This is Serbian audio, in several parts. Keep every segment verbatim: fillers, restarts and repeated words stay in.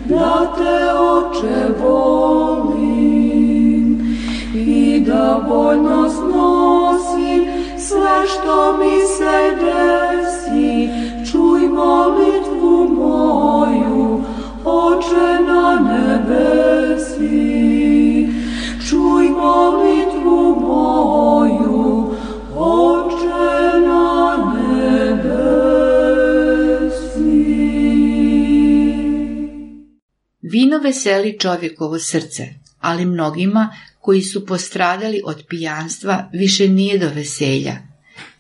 da te, Oče, volim i da voljno snosim sve što mi se desi. Čuj molitvu moju, Oče na nebesi. Čuj molitvu moju, Oče na nebesi. Vino veseli čovjekovo srce, ali mnogima koji su postradali od pijanstva više nije do veselja.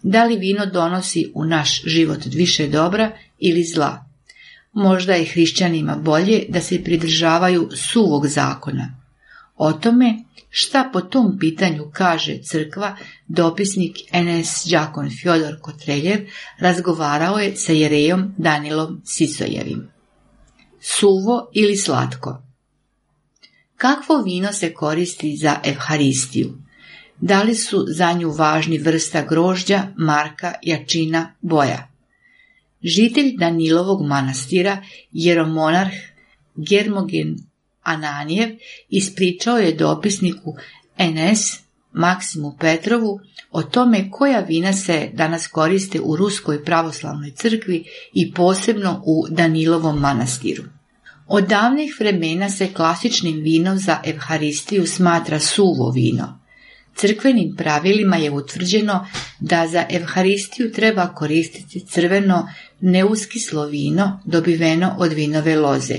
Da li vino donosi u naš život više dobra ili zla? Možda je hrišćanima bolje da se pridržavaju suvog zakona. O tome šta po tom pitanju kaže crkva, dopisnik en es đakon Fjodor Kotreljev razgovarao je sa jerejom Danilom Sisojevim. Suvo ili slatko? Kakvo vino se koristi za evharistiju? Da li su za nju važni vrsta grožđa, marka, jačina, boja? Žitelj Danilovog manastira, jeromonarh Germogen Ananijev, ispričao je dopisniku en es Maksimu Petrovu o tome koja vina se danas koriste u Ruskoj pravoslavnoj crkvi i posebno u Danilovom manastiru. Od davnih vremena se klasičnim vinom za evharistiju smatra suvo vino. Crkvenim pravilima je utvrđeno da za evharistiju treba koristiti crveno neuskislo vino dobiveno od vinove loze.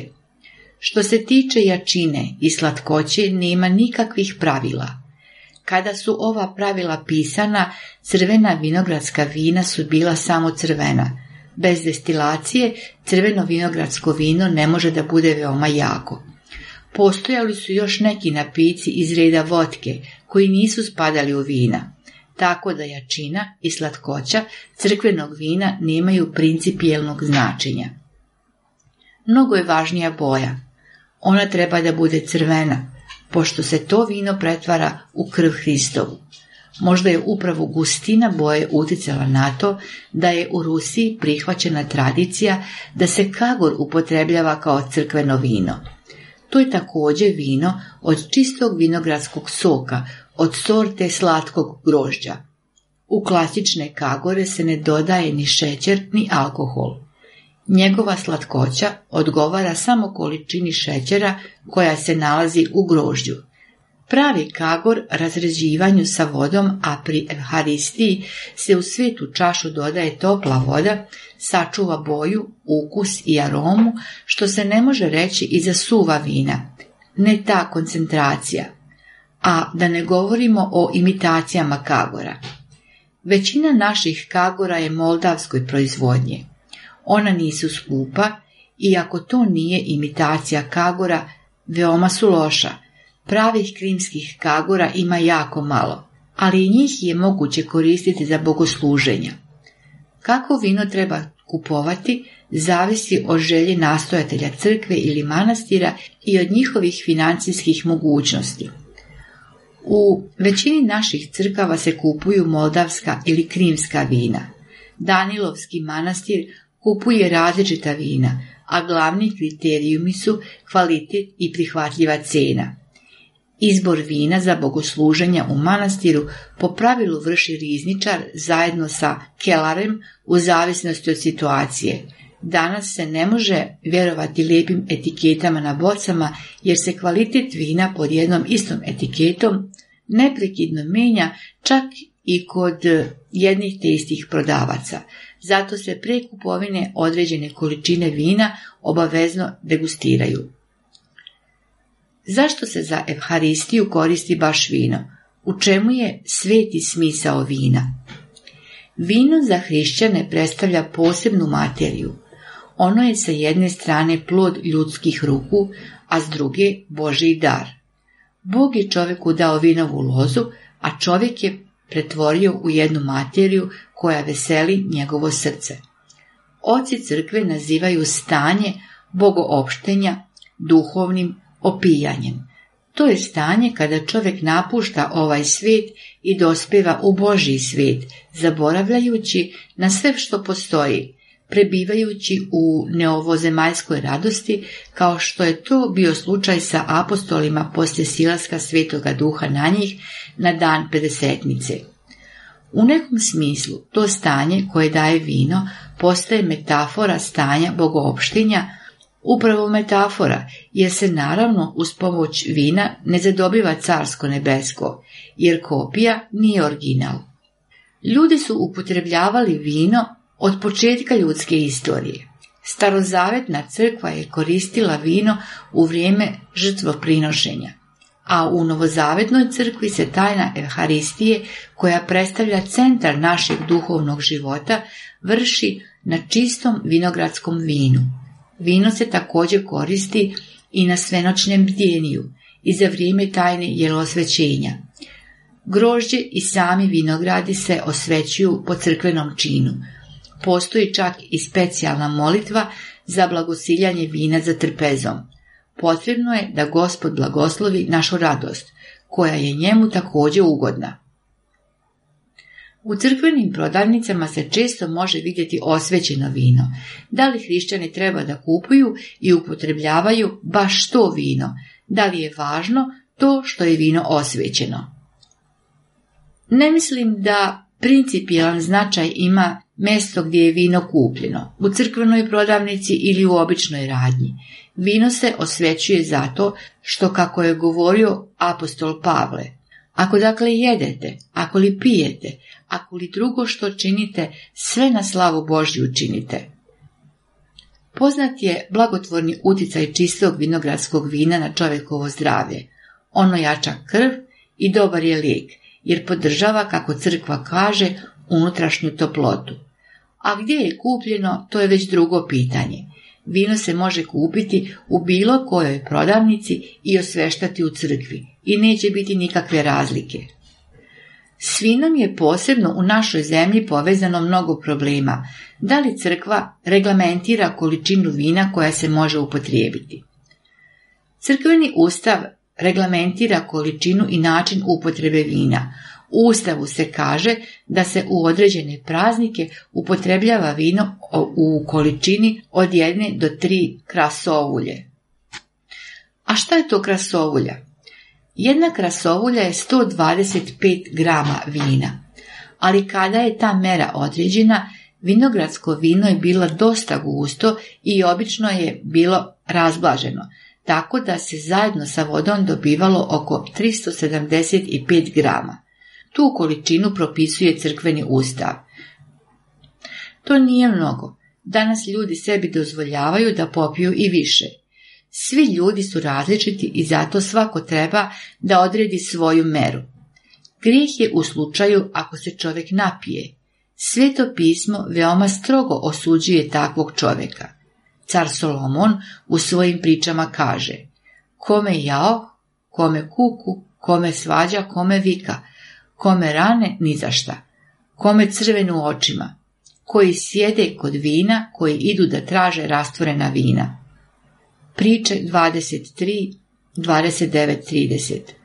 Što se tiče jačine i slatkoće, nema nikakvih pravila. Kada su ova pravila pisana, crvena vinogradska vina su bila samo crvena. Bez destilacije crveno vinogradsko vino ne može da bude veoma jako. Postojali su još neki napici iz reda votke koji nisu spadali u vina, tako da jačina i slatkoća crkvenog vina nemaju principijelnog značenja. Mnogo je važnija boja. Ona treba da bude crvena, pošto se to vino pretvara u krv Hristovu. Možda je upravo gustina boje uticala na to da je u Rusiji prihvaćena tradicija da se kagor upotrebljava kao crkveno vino. To je također vino od čistog vinogradskog soka, od sorte slatkog grožđa. U klasične kagore se ne dodaje ni šećer ni alkohol. Njegova slatkoća odgovara samo količini šećera koja se nalazi u grožđu. Pravi kagor razređivanju sa vodom, a pri evharistiji se u svetu čašu dodaje topla voda, sačuva boju, ukus i aromu, što se ne može reći i za suva vina. Ne ta koncentracija. A da ne govorimo o imitacijama kagora. Većina naših kagora je moldavskoj proizvodnje. Ona nisu skupa, i ako to nije imitacija kagora, veoma su loša. Pravih krimskih kagora ima jako malo, ali i njih je moguće koristiti za bogosluženja. Kako vino treba kupovati, zavisi od želje nastojatelja crkve ili manastira i od njihovih financijskih mogućnosti. U većini naših crkava se kupuju moldavska ili krimska vina. Danilovski manastir kupuje različita vina, a glavni kriterijumi su kvalitet i prihvatljiva cena. Izbor vina za bogosluženja u manastiru po pravilu vrši rizničar zajedno sa kelarem u zavisnosti od situacije. Danas se ne može vjerovati lijepim etiketama na bocama jer se kvalitet vina pod jednom istom etiketom neprekidno menja čak i kod jednih te istih prodavaca. Zato se pre kupovine određene količine vina obavezno degustiraju. Zašto se za evharistiju koristi baš vino? U čemu je sveti smisao vina? Vino za hrišćane predstavlja posebnu materiju. Ono je sa jedne strane plod ljudskih ruku, a s druge Božji dar. Bog je čovjeku dao vinovu lozu, a čovjek je pretvorio u jednu materiju koja veseli njegovo srce. Oci crkve nazivaju stanje bogoopštenja duhovnim opijanjem. To je stanje kada čovjek napušta ovaj svijet i dospeva u Božji svijet, zaboravljajući na sve što postoji, prebivajući u neovozemaljskoj radosti, kao što je to bio slučaj sa apostolima poslije silaska Svetoga Duha na njih na dan pedesetnice. U nekom smislu to stanje koje daje vino postaje metafora stanja bogoopštenja, upravo metafora, jer se naravno uz pomoć vina ne zadobiva carsko nebesko, jer kopija nije original. Ljudi su upotrebljavali vino od početka ljudske istorije. Starozavetna crkva je koristila vino u vrijeme žrtvoprinošenja, a u novozavetnoj crkvi se tajna Evharistije, koja predstavlja centar našeg duhovnog života, vrši na čistom vinogradskom vinu. Vino se također koristi i na svenoćnem bdjeniju i za vrijeme tajne jelosvećenja. Grožđe i sami vinogradi se osvećuju po crkvenom činu. Postoji čak i specijalna molitva za blagosiljanje vina za trpezom. Potrebno je da Gospod blagoslovi našu radost, koja je njemu također ugodna. U crkvenim prodavnicama se često može vidjeti osvećeno vino. Da li hrišćani treba da kupuju i upotrebljavaju baš to vino? Da li je važno to što je vino osvećeno? Ne mislim da principijelan značaj ima mjesto gdje je vino kupljeno, u crkvenoj prodavnici ili u običnoj radnji. Vino se osvećuje zato što, kako je govorio apostol Pavle, ako dakle jedete, ako li pijete, ako li drugo što činite, sve na slavu Božju činite. Poznat je blagotvorni utjecaj čistog vinogradskog vina na čovjekovo zdravlje. Ono jača krv i dobar je lijek, jer podržava, kako crkva kaže, unutrašnju toplotu. A gdje je kupljeno, to je već drugo pitanje. Vino se može kupiti u bilo kojoj prodavnici i osveštati u crkvi i neće biti nikakve razlike. S vinom je posebno u našoj zemlji povezano mnogo problema. Da li crkva reglamentira količinu vina koja se može upotrijebiti? Crkveni ustav reglamentira količinu i način upotrebe vina. U Ustavu se kaže da se u određene praznike upotrebljava vino u količini od jedne do tri krasovulje. A šta je to krasovulja? Jedna krasovulja je sto dvadeset pet grama vina, ali kada je ta mera određena, vinogradsko vino je bilo dosta gusto i obično je bilo razblaženo, tako da se zajedno sa vodom dobivalo oko tristo sedamdeset pet grama. Tu količinu propisuje crkveni ustav. To nije mnogo. Danas ljudi sebi dozvoljavaju da popiju i više. Svi ljudi su različiti i zato svako treba da odredi svoju meru. Grijeh je u slučaju ako se čovjek napije. Sveto pismo veoma strogo osuđuje takvog čovjeka. Car Solomon u svojim pričama kaže: kome jao, kome kuku, kome svađa, kome vika, kome rane ni za šta, kome crvenu očima, koji sjede kod vina, koji idu da traže rastvorena vina. Priče dvadeset tri, dvadeset devet, trideset.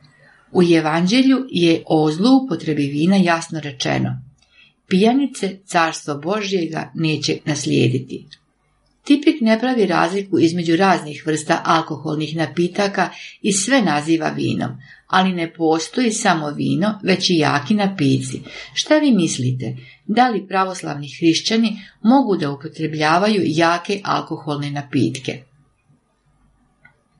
U Evanđelju je o zloupotrebi vina jasno rečeno: pijanice carstvo Božjega neće naslijediti. Tipik ne pravi razliku između raznih vrsta alkoholnih napitaka i sve naziva vinom, ali ne postoji samo vino, već i jaki napici. Šta vi mislite? Da li pravoslavni hrišćani mogu da upotrebljavaju jake alkoholne napitke?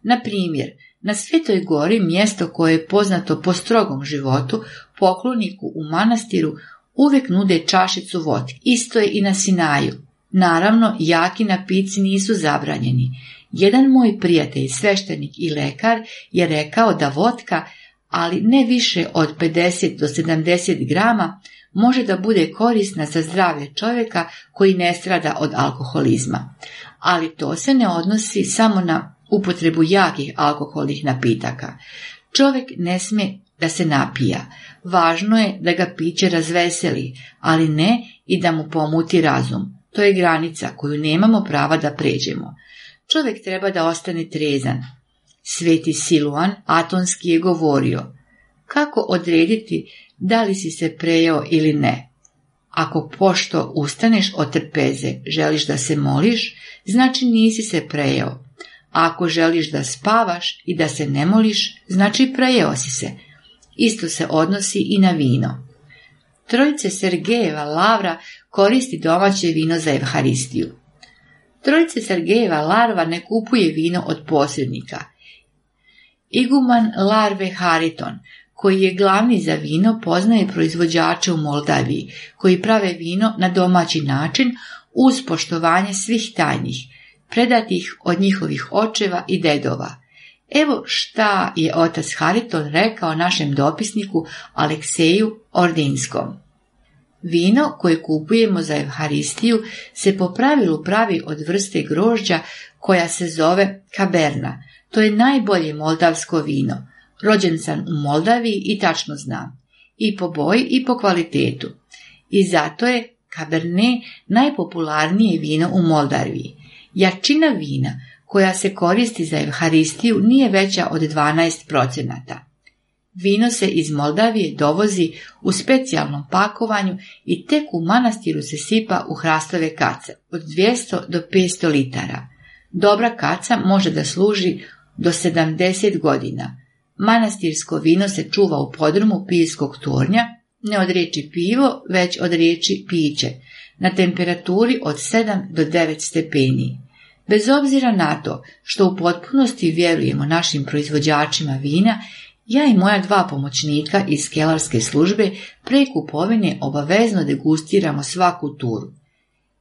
Na primjer, na Svetoj gori, mjesto koje je poznato po strogom životu, pokloniku u manastiru uvijek nude čašicu vodke. Isto je i na Sinaju. Naravno, jaki napici nisu zabranjeni. Jedan moj prijatelj, sveštenik i lekar, je rekao da vodka, ali ne više od pedeset do sedamdeset grama, može da bude korisna za zdravlje čovjeka koji ne strada od alkoholizma. Ali to se ne odnosi samo na upotrebu jakih alkoholnih napitaka. Čovjek ne smije da se napija. Važno je da ga piće razveseli, ali ne i da mu pomuti razum. To je granica koju nemamo prava da pređemo. Čovjek treba da ostane trezan. Sveti Siluan Atonski je govorio: kako odrediti da li si se prejeo ili ne? Ako pošto ustaneš od trpeze, želiš da se moliš, znači nisi se prejeo. A ako želiš da spavaš i da se ne moliš, znači prejeo si se. Isto se odnosi i na vino. Trojice Sergejeva Lavra koristi domaće vino za Evharistiju. Trojice Sergejeva Larva ne kupuje vino od posrednika. Iguman Larve Hariton, koji je glavni za vino, poznaje proizvođače u Moldaviji, koji prave vino na domaći način uz poštovanje svih tajnih, predatih od njihovih očeva i dedova. Evo šta je otac Hariton rekao našem dopisniku Alekseju Ordinskom. Vino koje kupujemo za Evharistiju se po pravilu pravi od vrste grožđa koja se zove kaberna. To je najbolje moldavsko vino. Rođen sam u Moldaviji i tačno znam. I po boji i po kvalitetu. I zato je Cabernet najpopularnije vino u Moldaviji. Jačina vina koja se koristi za Evharistiju nije veća od dvanaest procenata. Vino se iz Moldavije dovozi u specijalnom pakovanju i tek u manastiru se sipa u hrastove kace od dvjesto do petsto litara. Dobra kaca može da služi do sedamdeset godina. Manastirsko vino se čuva u podrumu pivskog tornja, ne od riječi pivo, već od riječi piće, na temperaturi od sedam do devet stepeni. Bez obzira na to što u potpunosti vjerujemo našim proizvođačima vina, ja i moja dva pomoćnika iz kelarske službe pre kupovine obavezno degustiramo svaku turu.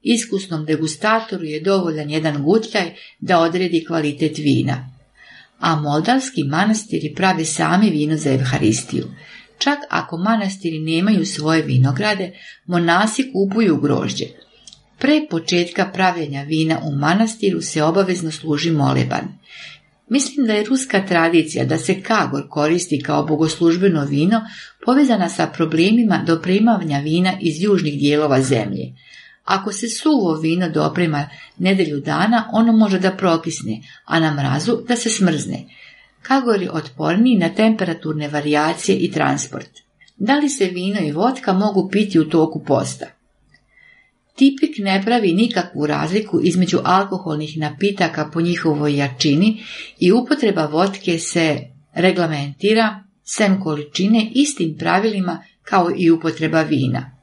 Iskusnom degustatoru je dovoljan jedan gutljaj da odredi kvalitet vina. A moldavski manastiri prave sami vino za Evharistiju. Čak ako manastiri nemaju svoje vinograde, monasi kupuju grožđe. Pre početka pravljenja vina u manastiru se obavezno služi moleban. Mislim da je ruska tradicija da se kagor koristi kao bogoslužbeno vino povezana sa problemima dopremavanja vina iz južnih dijelova zemlje. Ako se suvo vino doprema nedelju dana, ono može da prokisne, a na mrazu da se smrzne. Kagor je otporniji na temperaturne varijacije i transport. Da li se vino i votka mogu piti u toku posta? Tipik ne pravi nikakvu razliku između alkoholnih napitaka po njihovoj jačini i upotreba votke se reglamentira sem količine istim pravilima kao i upotreba vina.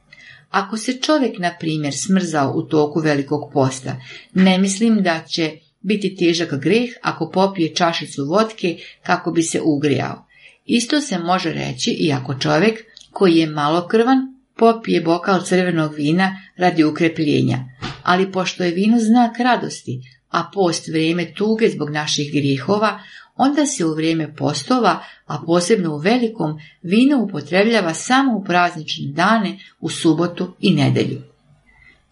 Ako se čovjek, na primjer, smrzao u toku velikog posta, ne mislim da će biti težak greh ako popije čašicu votke kako bi se ugrijao. Isto se može reći i ako čovjek koji je malokrvan popije bokal crvenog vina radi ukrepljenja, ali pošto je vino znak radosti, a post vrijeme tuge zbog naših grijehova, onda se u vrijeme postova, a posebno u velikom, vino upotrebljava samo u praznične dane, u subotu i nedjelju.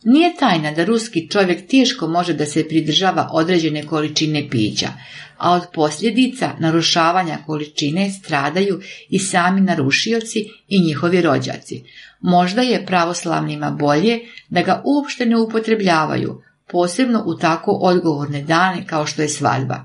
Nije tajna da ruski čovjek teško može da se pridržava određene količine pića, a od posljedica narušavanja količine stradaju i sami narušioci i njihovi rođaci. Možda je pravoslavnima bolje da ga uopšte ne upotrebljavaju, posebno u tako odgovorne dane kao što je svadba.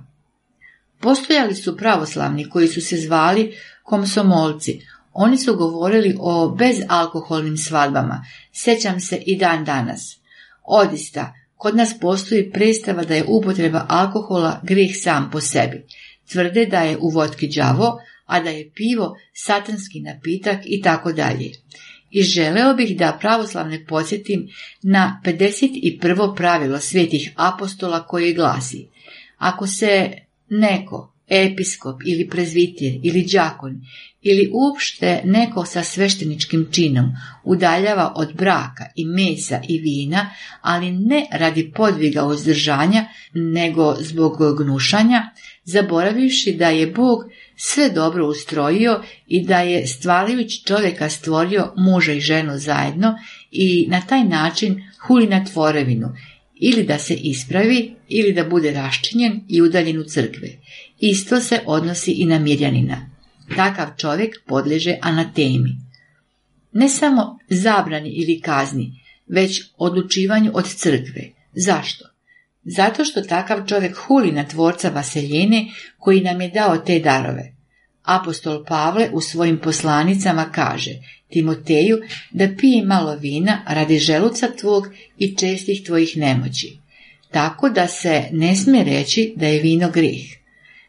Postojali su pravoslavni koji su se zvali komsomolci. Oni su govorili o bezalkoholnim svadbama, sjećam se i dan danas. Odista, kod nas postoji predstava da je upotreba alkohola grijeh sam po sebi. Tvrde da je u votki đavo, a da je pivo satanski napitak i tako dalje. I želeo bih da pravoslavne podsjetim na pedeset prvo pravilo svetih apostola koje glasi: ako se neko, episkop ili prezvitir ili đakon ili uopšte neko sa svešteničkim činom udaljava od braka i mesa i vina, ali ne radi podviga uzdržanja, nego zbog gnušanja, zaboravivši da je Bog sve dobro ustrojio i da je stvarajući čovjeka stvorio muža i ženu zajedno i na taj način huli na tvorevinu, ili da se ispravi, ili da bude raščinjen i udaljen u crkve. Isto se odnosi i na mirjanina. Takav čovjek podliježe anatemi. Ne samo zabrani ili kazni, već odlučivanju od crkve. Zašto? Zato što takav čovjek huli na tvorca vaseljene koji nam je dao te darove. Apostol Pavle u svojim poslanicama kaže Timoteju da pije malo vina radi želuca tvog i čestih tvojih nemoći. Tako da se ne smije reći da je vino grijeh.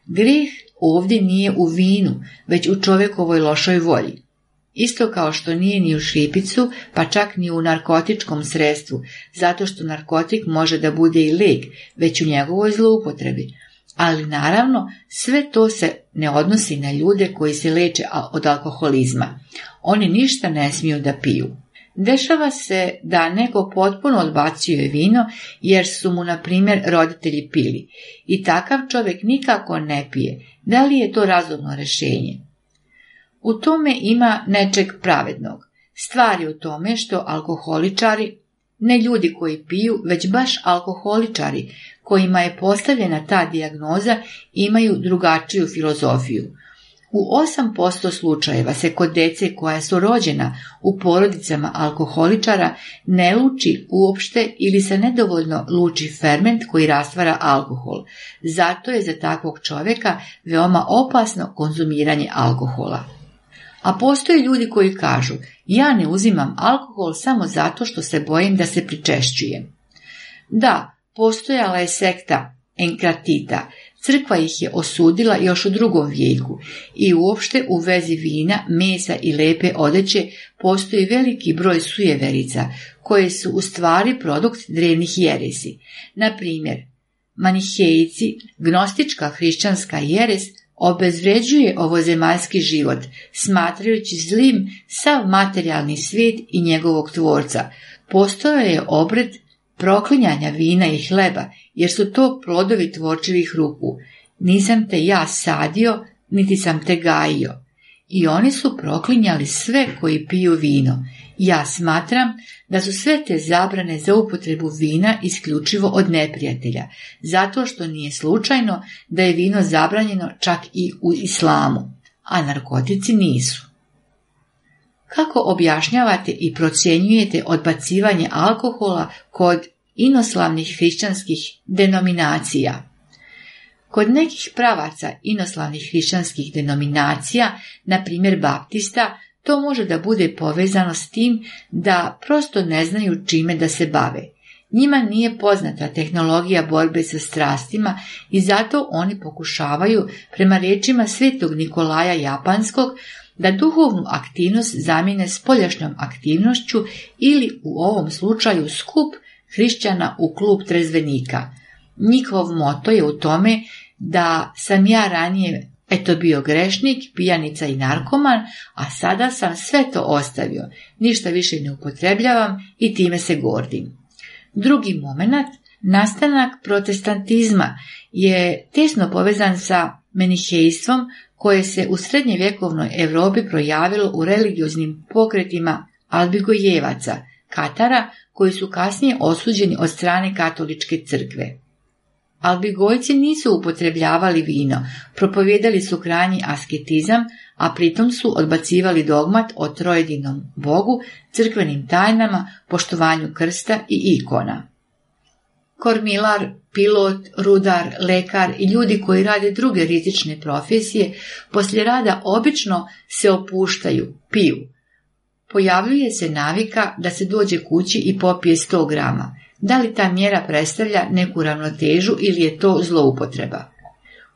Grijeh ovdje nije u vinu, već u čovjekovoj lošoj volji. Isto kao što nije ni u šripicu, pa čak ni u narkotičkom sredstvu, zato što narkotik može da bude i lijek, već u njegovoj zloupotrebi. Ali naravno, sve to se ne odnosi na ljude koji se leče od alkoholizma. Oni ništa ne smiju da piju. Dešava se da neko potpuno odbacuje vino jer su mu, na primjer, roditelji pili. I takav čovjek nikako ne pije. Da li je to razumno rješenje? U tome ima nečeg pravednog. Stvar je u tome što alkoholičari, ne ljudi koji piju, već baš alkoholičari, kojima je postavljena ta dijagnoza, imaju drugačiju filozofiju. U osam posto slučajeva se kod djece koja su rođena u porodicama alkoholičara ne luči uopšte ili se nedovoljno luči ferment koji rastvara alkohol. Zato je za takvog čovjeka veoma opasno konzumiranje alkohola. A postoje ljudi koji kažu, ja ne uzimam alkohol samo zato što se bojim da se pričešćujem. Da, postojala je sekta Enkratita, crkva ih je osudila još u drugom vijeku i uopšte u vezi vina, mesa i lepe odeće postoji veliki broj sujeverica koje su u stvari produkt drevnih jeresi. Na primjer, Manihejici, gnostička hrišćanska jeres, obezvređuje ovozemaljski život, smatrajući zlim sav materijalni svijet i njegovog tvorca. Postojao je obred proklinjanja vina i hleba, jer su to plodovi tvorčivih ruku. Nisam te ja sadio, niti sam te gajio. I oni su proklinjali sve koji piju vino. Ja smatram da su sve te zabrane za upotrebu vina isključivo od neprijatelja, zato što nije slučajno da je vino zabranjeno čak i u islamu, a narkotici nisu. Kako objašnjavate i procjenjujete odbacivanje alkohola kod inoslavnih hrišćanskih denominacija? Kod nekih pravaca inoslavnih hrišćanskih denominacija, na primjer baptista, to može da bude povezano s tim da prosto ne znaju čime da se bave. Njima nije poznata tehnologija borbe sa strastima i zato oni pokušavaju, prema riječima svetog Nikolaja Japanskog, da duhovnu aktivnost zamijene spoljašnjom aktivnošću ili u ovom slučaju skup hrišćana u klub trezvenika. Njihov moto je u tome da sam ja ranije eto bio grešnik, pijanica i narkoman, a sada sam sve to ostavio, ništa više ne upotrebljavam i time se gordim. Drugi moment, nastanak protestantizma, je tesno povezan sa menihejstvom koje se u srednjevjekovnoj Europi projavilo u religioznim pokretima albigojevaca, Katara, koji su kasnije osuđeni od strane katoličke crkve. Albigojci nisu upotrebljavali vino, propovijedali su krajnji asketizam, a pritom su odbacivali dogmat o trojedinom Bogu, crkvenim tajnama, poštovanju krsta i ikona. Kormilar, pilot, rudar, lekar i ljudi koji rade druge rizične profesije poslije rada obično se opuštaju, piju. Pojavljuje se navika da se dođe kući i popije sto grama. Da li ta mjera predstavlja neku ravnotežu ili je to zloupotreba?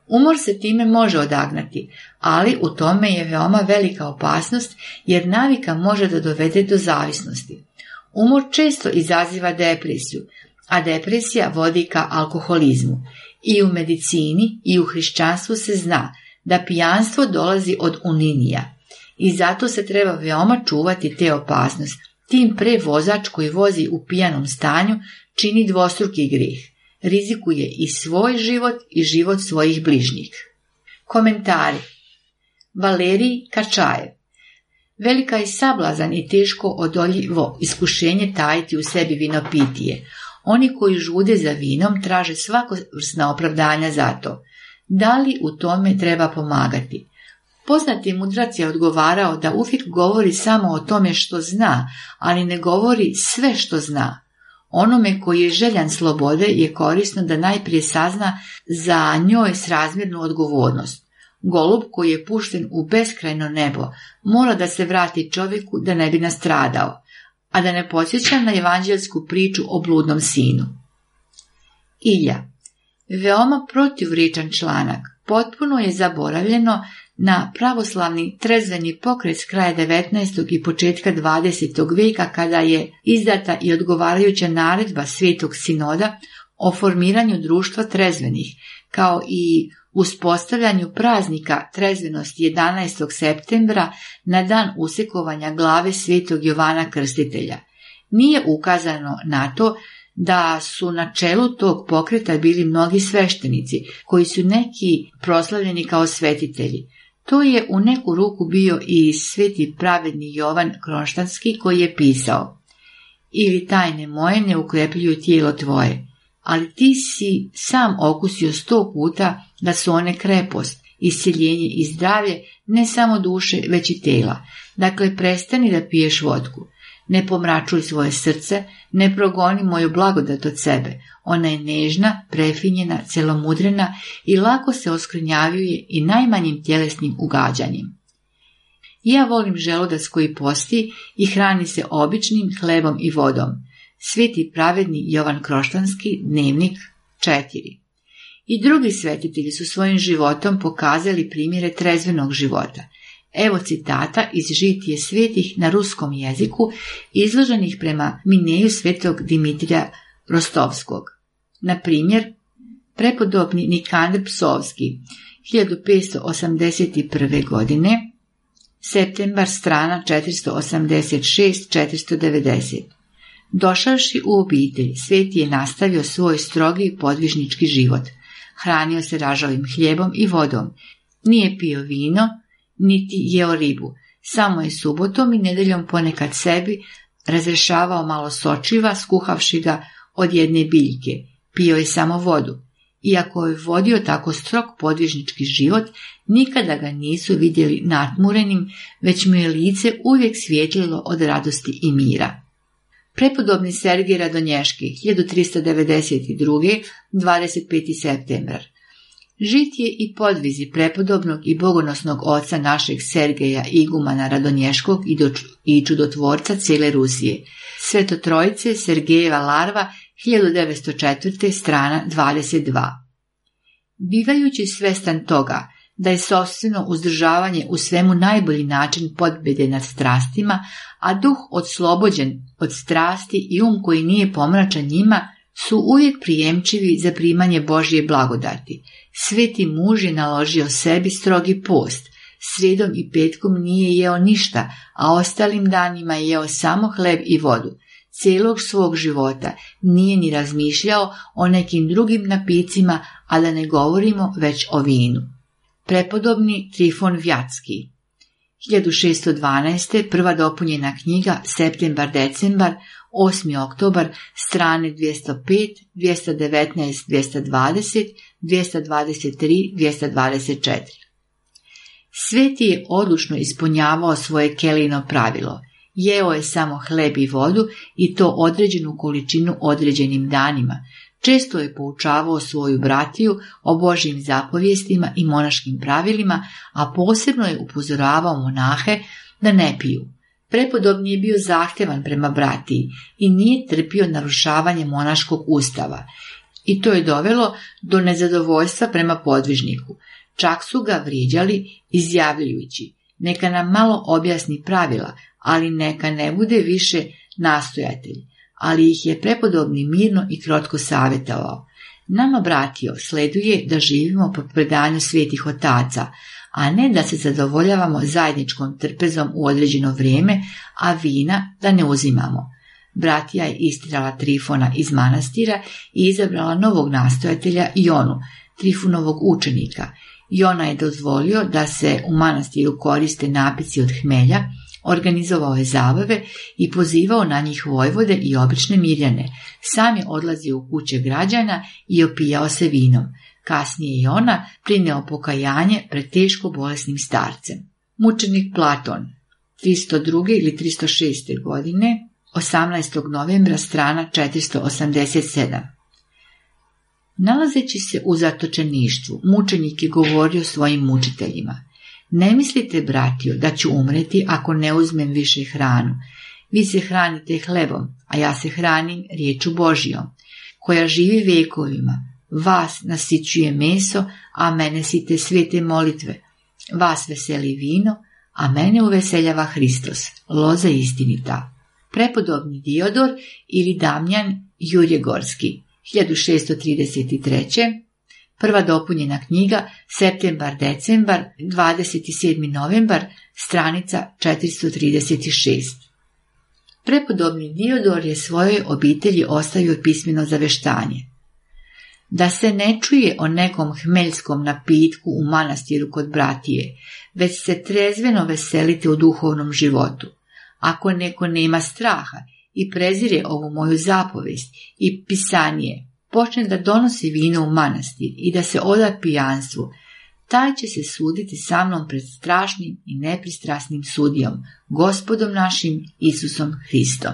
Umor se time može odagnati, ali u tome je veoma velika opasnost jer navika može da dovede do zavisnosti. Umor često izaziva depresiju, a depresija vodi ka alkoholizmu. I u medicini i u hrišćanstvu se zna da pijanstvo dolazi od uninija i zato se treba veoma čuvati te opasnosti. Tim pre vozač koji vozi u pijanom stanju čini dvostruki grijeh, rizikuje i svoj život i život svojih bližnjih. Komentari. Valerij Kačajev. Velika je sablazan i teško odoljivo iskušenje tajiti u sebi vinopitije. Oni koji žude za vinom traže svakosvrsna opravdanja za to. Da li u tome treba pomagati? Poznati mudrac je odgovarao da uvijek govori samo o tome što zna, ali ne govori sve što zna. Onome koji je željan slobode je korisno da najprije sazna za njoj srazmjernu odgovornost. Golub koji je pušten u beskrajno nebo mora da se vrati čovjeku da ne bi nastradao, a da ne podsjećam na evanđelsku priču o bludnom sinu. Ilja. Veoma protivričan članak. Potpuno je zaboravljeno na pravoslavni trezveni pokret s kraja devetnaestog i početka dvadesetog vijeka, kada je izdata i odgovarajuća naredba Svetog sinoda o formiranju društva trezvenih, kao i uspostavljanju praznika trezvenosti jedanaestog septembra na dan usekovanja glave Svetog Jovana Krstitelja. Nije ukazano na to da su na čelu tog pokreta bili mnogi sveštenici, koji su neki proslavljeni kao svetitelji. To je u neku ruku bio i sveti pravedni Jovan Kronštanski, koji je pisao: ili tajne moje ne ukrepljuju tijelo tvoje, ali ti si sam okusio sto puta da su one krepost, isceljenje i zdravlje ne samo duše, već i tela. Dakle, prestani da piješ vodku. Ne pomračuj svoje srce, ne progoni moju blagodat od sebe. Ona je nežna, prefinjena, celomudrena i lako se oskvrnjavljuje i najmanjim tjelesnim ugađanjem. Ja volim želudac koji posti i hrani se običnim hlebom i vodom. Sveti pravedni Jovan Kroštanski, Dnevnik četiri. I drugi svetitelji su svojim životom pokazali primjere trezvenog života. Evo citata iz Žitije svetih na ruskom jeziku, izloženih prema mineju svetog Dimitrija Rostovskog. Na primjer, prepodobni Nikandr Psovski, hiljadu petsto osamdeset prve. godine, septembar, strana četiristo osamdeset šest do četiristo devedeset. Došavši u obitelj, sveti je nastavio svoj strogi i podvižnički život. Hranio se ražavim hljebom i vodom. Nije pio vino, niti jeo ribu. Samo je subotom i nedeljom ponekad sebi razrešavao malo sočiva, skuhavši ga od jedne biljke. Pio je samo vodu. Iako je vodio tako strog podvižnički život, nikada ga nisu vidjeli natmurenim, već mu je lice uvijek svijetlilo od radosti i mira. Prepodobni Sergij Radonješki, hiljadu tristo devedeset druge. dvadeset peti septembar. Žitije i podvizi prepodobnog i bogonosnog oca našeg Sergeja igumana Radonješkog i čudotvorca cijele Rusije. Sveto trojice Sergejeva larva, hiljadu devetsto četvrte. strana dvadeset dva. Bivajući svestan toga da je sopstveno uzdržavanje u svemu najbolji način pobjede nad strastima, a duh odslobođen od strasti i um koji nije pomračan njima, su uvijek prijemčivi za primanje Božje blagodati. Sveti muž je naložio sebi strogi post. Srijedom i petkom nije jeo ništa, a ostalim danima je jeo samo hleb i vodu. Cijelog svog života nije ni razmišljao o nekim drugim napicima, a da ne govorimo već o vinu. Prepodobni Trifon Vjatski, hiljadu šesto dvanaeste. prva dopunjena knjiga, septembar-decembar, osmi oktobar, strane dvjesto pet, dvjesto devetnaest, dvjesto dvadeset, dvjesto dvadeset tri, dvjesto dvadeset četiri. Sveti je odlučno ispunjavao svoje kelijino pravilo. Jeo je samo hleb i vodu i to određenu količinu određenim danima. Često je poučavao svoju bratiju o Božjim zapovjestima i monaškim pravilima, a posebno je upozoravao monahe da ne piju. Prepodobni je bio zahtjevan prema bratiji i nije trpio narušavanje monaškog ustava. I to je dovelo do nezadovoljstva prema podvižniku. Čak su ga vrijeđali izjavljujući: neka nam malo objasni pravila, ali neka ne bude više nastojatelj. Ali ih je prepodobni mirno i krotko savjetovao: nama, bratio, sleduje da živimo po predanju svetih otaca, a ne da se zadovoljavamo zajedničkom trpezom u određeno vrijeme, a vina da ne uzimamo. Bratija je istirala Trifona iz manastira i izabrala novog nastojatelja Jonu, Trifunovog učenika. Jona je dozvolio da se u manastiru koriste napici od hmelja, organizovao je zabave i pozivao na njih vojvode i obične mirjane. Sam je odlazio u kuće građana i opijao se vinom. Kasnije je ona prineo pokajanje pred teško bolesnim starcem. Mučenik Platon, tristo druge ili tristo šeste. godine, osamnaestog novembra, strana četiristo osamdeset sedam. Nalazeći se u zatočeništvu, mučenik je govorio svojim mučiteljima: ne mislite, bratio, da ću umreti ako ne uzmem više hranu. Vi se hranite hlebom, a ja se hranim riječu Božijom, koja živi vekovima. Vas nasićuje meso, a mene site svete molitve. Vas veseli vino, a mene uveseljava Hristos, loza istinita. Prepodobni Diodor ili Damjan Jurjegorski, hiljadu šessto trideset treće. Prva dopunjena knjiga, septembar-decembar, dvadeset sedmi novembar, stranica četiristo trideset šest. Prepodobni Diodor je svojoj obitelji ostavio pismeno zaveštanje: da se ne čuje o nekom hmeljskom napitku u manastiru kod bratije, već se trezveno veselite u duhovnom životu. Ako neko nema straha i prezire ovu moju zapovest i pisanije, počne da donosi vino u manastir i da se oda pijanstvu, taj će se suditi sa mnom pred strašnim i nepristrasnim sudijom, Gospodom našim Isusom Hristom.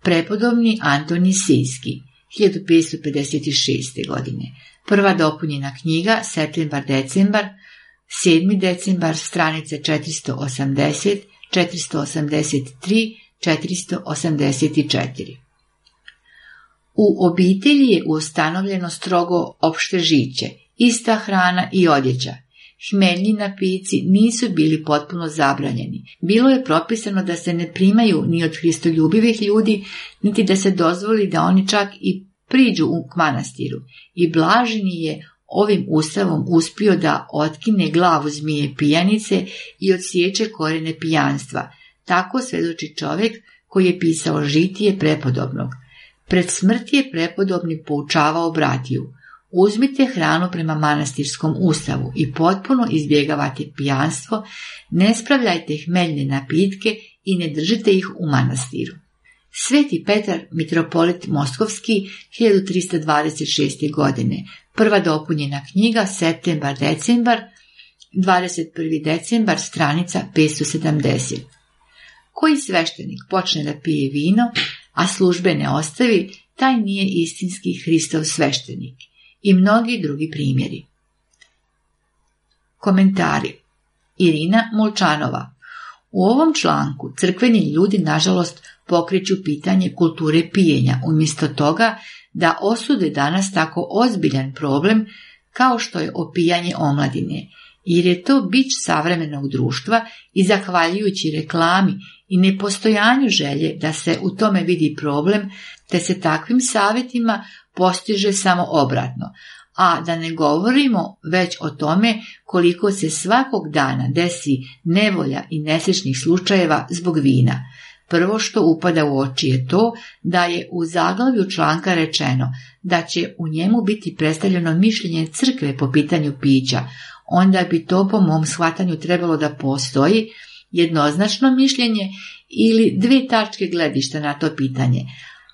Prepodobni Antonij Sejski, hiljadu petsto pedeset šeste. godine. Prva dopunjena knjiga, septembar-decembar, sedmi decembar, stranice četiristo osamdeset, četiristo osamdeset tri, četiristo osamdeset četiri. U obitelji je ustanovljeno strogo opšte žiće, ista hrana i odjeća. Hmeljni napici nisu bili potpuno zabranjeni. Bilo je propisano da se ne primaju ni od hristoljubivih ljudi, niti da se dozvoli da oni čak i priđu u manastiru. I Blaženi je ovim ustavom uspio da otkine glavu zmije pijanice i odsječe korene pijanstva. Tako svedoči čovjek koji je pisao žitije prepodobnog. Pred smrti je prepodobni poučavao bratiju: uzmite hranu prema manastirskom ustavu i potpuno izbjegavate pijanstvo, ne spravljajte hmeljne napitke i ne držite ih u manastiru. Sveti Petar, mitropolit Moskovski, hiljadu tristo dvadeset šeste. godine. Prva dopunjena knjiga, septembar-decembar, dvadeset prvi decembar, stranica petsto sedamdeset. Koji sveštenik počne da pije vino, a službe ne ostavi, taj nije istinski Hristov sveštenik. I mnogi drugi primjeri. Komentari. Irina Molčanova. U ovom članku crkveni ljudi nažalost pokreću pitanje kulture pijenja, umjesto toga da osude danas tako ozbiljan problem kao što je opijanje omladine, jer je to bić savremenog društva i zahvaljujući reklami i nepostojanju želje da se u tome vidi problem, te se takvim savjetima postiže samo obratno, a da ne govorimo već o tome koliko se svakog dana desi nevolja i nesrećnih slučajeva zbog vina. Prvo što upada u oči je to da je u zaglavlju članka rečeno da će u njemu biti predstavljeno mišljenje crkve po pitanju pića, onda bi to po mom shvatanju trebalo da postoji jednoznačno mišljenje ili dvije tačke gledišta na to pitanje,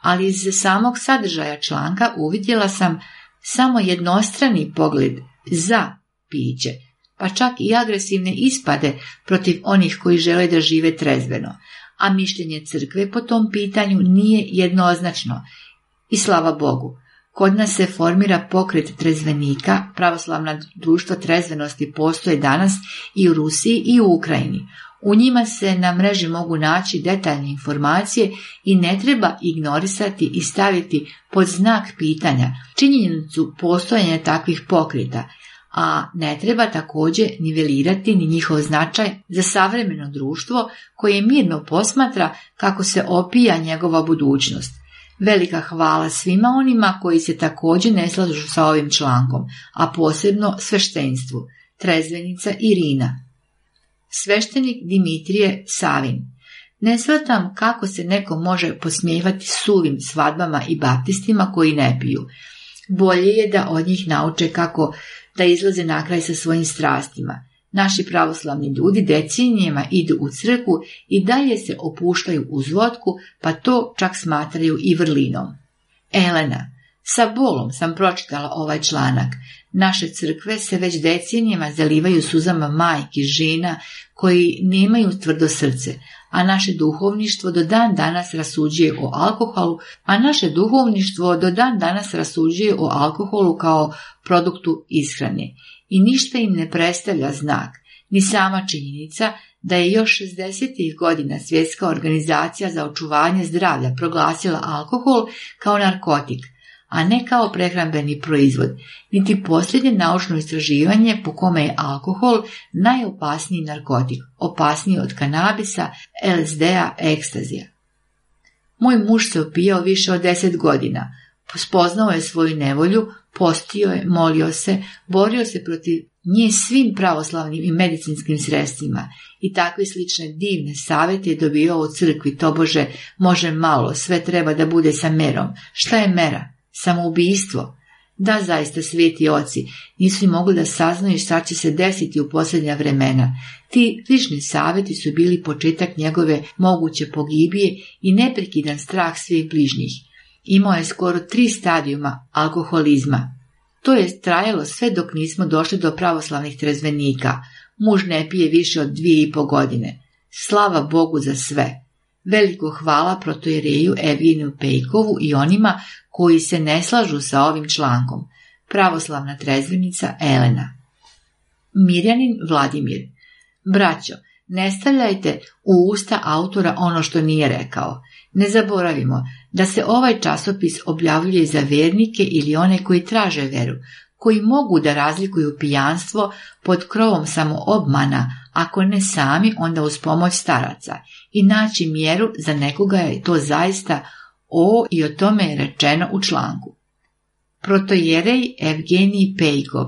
ali iz samog sadržaja članka uvidjela sam samo jednostrani pogled za piće, pa čak i agresivne ispade protiv onih koji žele da žive trezveno, a mišljenje crkve po tom pitanju nije jednoznačno. I slava Bogu, kod nas se formira pokret trezvenika, pravoslavna društva trezvenosti postoje danas i u Rusiji i u Ukrajini. U njima se na mreži mogu naći detaljne informacije i ne treba ignorisati i staviti pod znak pitanja činjenicu postojanja takvih pokreta, a ne treba također nivelirati ni njihov značaj za savremeno društvo koje mirno posmatra kako se opija njegova budućnost. Velika hvala svima onima koji se također ne slažu sa ovim člankom, a posebno sveštenstvu. Trezvenica Irina. Sveštenik Dimitrije Savin. Ne shvatam kako se neko može posmijevati suvim svadbama i baptistima koji ne piju. Bolje je da od njih nauče kako da izlaze na kraj sa svojim strastima. Naši pravoslavni ljudi decenijama idu u crkvu i dalje se opuštaju uz vodku, pa to čak smatraju i vrlinom. Elena. Sa bolom sam pročitala ovaj članak. Naše crkve se već decenijama zalivaju suzama majki, žena koji nemaju tvrdo srce, a naše duhovništvo do dan danas rasuđuje o alkoholu, a naše duhovništvo do dan danas rasuđuje o alkoholu kao produktu ishrane. I ništa im ne predstavlja znak, ni sama činjenica da je još šezdesetih godina Svjetska organizacija za očuvanje zdravlja proglasila alkohol kao narkotik, a ne kao prehrambeni proizvod, niti posljednje naučno istraživanje po kome je alkohol najopasniji narkotik, opasniji od kanabisa, el es de-a, ekstazija. Moj muž se opijao više od deset godina, spoznao je svoju nevolju, postio je, molio se, borio se protiv nje svim pravoslavnim i medicinskim sredstvima i takve slične divne savjete je dobio u crkvi, tobože može malo, sve treba da bude sa merom. Šta je mera? Samoubistvo. Da, zaista sveti oci nisu i mogli da saznaju šta će se desiti u posljednja vremena. Ti lični savjeti su bili početak njegove moguće pogibije i neprekidan strah svih bližnjih. Imao je skoro tri stadijuma alkoholizma. To je trajalo sve dok nismo došli do pravoslavnih trezvenika. Muž ne pije više od dvije i po godine. Slava Bogu za sve. Veliko hvala protojereju Evgeniju Pejkovu i onima koji se ne slažu sa ovim člankom. Pravoslavna trezvenica Elena. Mirjanin Vladimir. Braćo, ne stavljajte u usta autora ono što nije rekao. Ne zaboravimo da se ovaj časopis objavljuje za vernike ili one koji traže veru, koji mogu da razlikuju pijanstvo pod krovom samoobmana, ako ne sami, onda uz pomoć staraca, i naći mjeru za nekoga je to zaista o i o tome je rečeno u članku. Protojerej Evgenij Pejkov.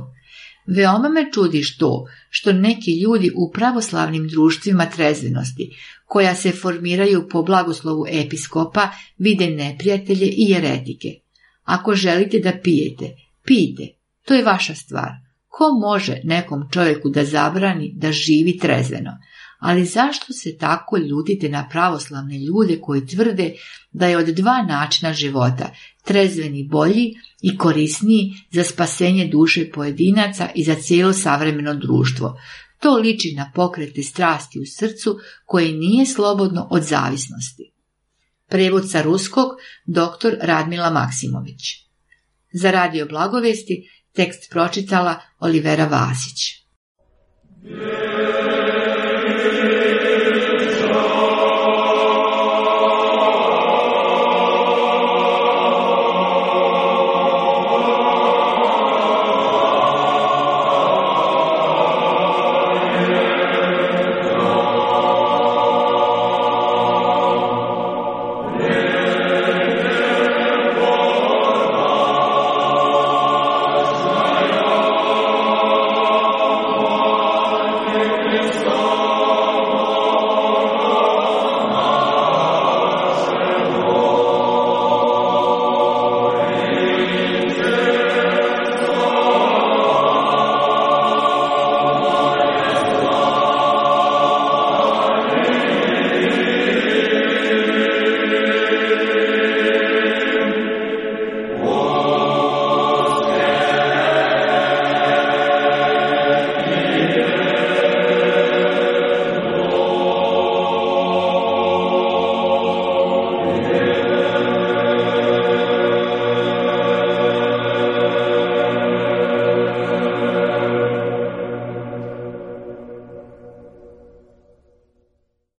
Veoma me čudi to što neki ljudi u pravoslavnim društvima trezvenosti, koja se formiraju po blagoslovu episkopa, vide neprijatelje i jeretike. Ako želite da pijete, pijte, to je vaša stvar. Ko može nekom čovjeku da zabrani da živi trezveno? Ali zašto se tako ljutite na pravoslavne ljude koji tvrde da je od dva načina života, trezveni bolji i korisniji za spasenje duše pojedinaca i za cijelo savremeno društvo? To liči na pokrete strasti u srcu koje nije slobodno od zavisnosti. Prevod sa ruskog doktor Radmila Maksimović. Za Radio Blagovesti tekst pročitala Olivera Vasić.